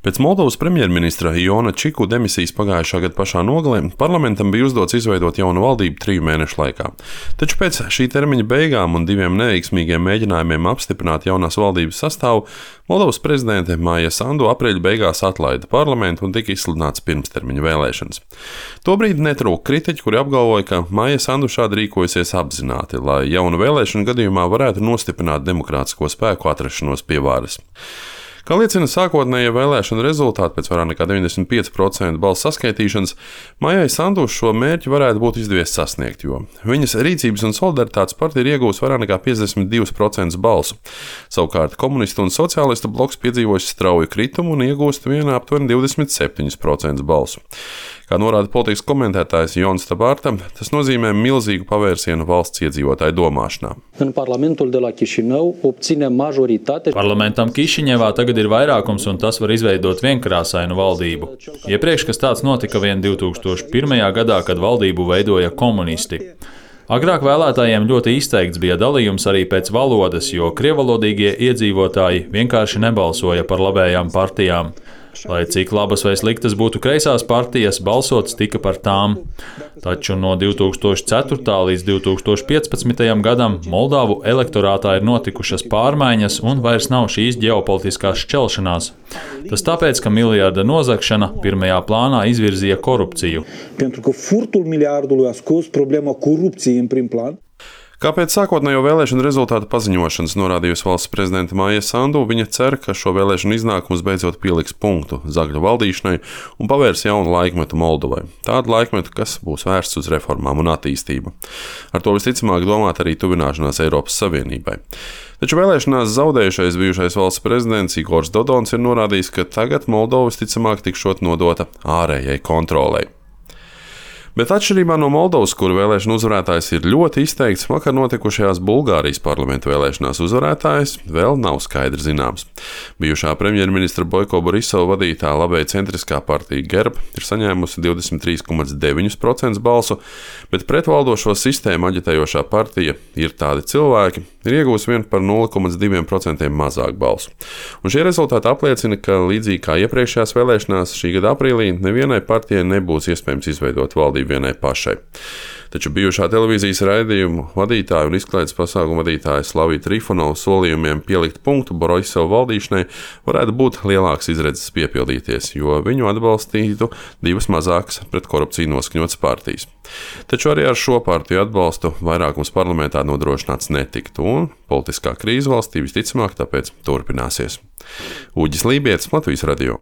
Pēc Moldovas premjerministra Iona Čiku demisijas pagājušā gada pašā nogalē parlamentam bija uzdots izveidot jaunu valdību 3 mēnešu laikā. Taču pēc šī termiņa beigām un 2 neveiksmīgiem mēģinājumiem apstiprināt jaunās valdības sastāvu, Moldovas prezidente Maija Sandu aprīļa beigās atlaida parlamentu un tika izsludināts pirmstermiņa vēlēšanas. Tobrīd netrūka kritiķi, kuri apgalvoja, ka Maija Sandu šādi rīkojusies apzināti, lai jaunu vēlēšanu gadījumā varētu nostiprināt demokrātisko spēku atrašanos pie varas. Kā liecina sākotnējie vēlēšanu rezultāti pēc vairāk nekā 95% balsu saskaitīšanas, Maijai Sandu šo mērķi varētu būt izdevies sasniegt, jo viņas Rīcības un solidaritātes partija ir iegūsi vairāk nekā 52% balsu. Savukārt komunistu un sociālistu bloks piedzīvojis strauju kritumu un iegūst vienā aptuveni 27% balsu. Kā norāda politikas komentētājs Jons Tabārta, tas nozīmē milzīgu pavērsienu valsts iedzīvotāju domāšanā. Parlamentam Kišiņevā tagad ir vairākums, un tas var izveidot vienkrāsainu valdību. Iepriekš, kas tāds notika vien 2001. gadā, kad valdību veidoja komunisti. Agrāk vēlētājiem ļoti izteikts bija dalījums arī pēc valodas, jo krievalodīgie iedzīvotāji vienkārši nebalsoja par labējām partijām. Lai cik labas vai sliktas būtu kreisās partijas, balsots tika par tām. Taču no 2004. līdz 2015. gadam Moldavu elektorātā ir notikušas pārmaiņas un vairs nav šīs ģeopolitiskās šķelšanās. Tas tāpēc, ka miljarda nozagšana pirmajā plānā izvirzīja korupciju. Kāpēc sākotnējo vēlēšanu rezultātu paziņošanas norādījusi valsts prezidente Maija Sandu, viņa cer, ka šo vēlēšanu iznākums beidzot pieliks punktu zagļu valdīšanai un pavērs jaunu laikmetu Moldovai. Tādu laikmetu, kas būs vērsts uz reformām un attīstību. Ar to visticamāk domāt arī tuvināšanās Eiropas Savienībai. Taču vēlēšanās zaudējušais bijušais valsts prezidents Igors Dodons ir norādījis, ka tagad Moldova visticamāk tikšot nodota ārējai kontrolei. Bet atšķirībā no Moldovas, kuru vēlēšanu uzvarētājs ir ļoti izteikts, vakar notikušajās Bulgārijas parlamentu vēlēšanās uzvarētājs vēl nav skaidri zināms. Bijušā premjerministra Boiko Borisova vadītā labēja centriskā partija Gerb ir saņēmusi 23,9% balsu, bet pretvaldošo sistēmu aģitējošā partija Ir tādi cilvēki ir iegūsi vien par 0,2% mazāk balsu. Un šie rezultāti apliecina, ka līdzīgi kā iepriekšējās vēlēšanās šī gada aprīlī nevienai partijai nebūs iespējams izveidot valdību vienai pašai. Taču bijušā televīzijas raidījumu vadītāja un izklaides pasākumu vadītāja Slavija Trifonova solījumiem pielikt punktu Borisova valdīšanai varētu būt lielāks izredzes piepildīties, jo viņu atbalstītu 2 mazākas pret korupciju noskaņotas partijas. Taču arī ar šo partiju atbalstu vairākums parlamentā nodrošināts netiktu, un politiskā krīze valstī visticamāk tāpēc turpināsies. Uģis Lībietis, Latvijas radio.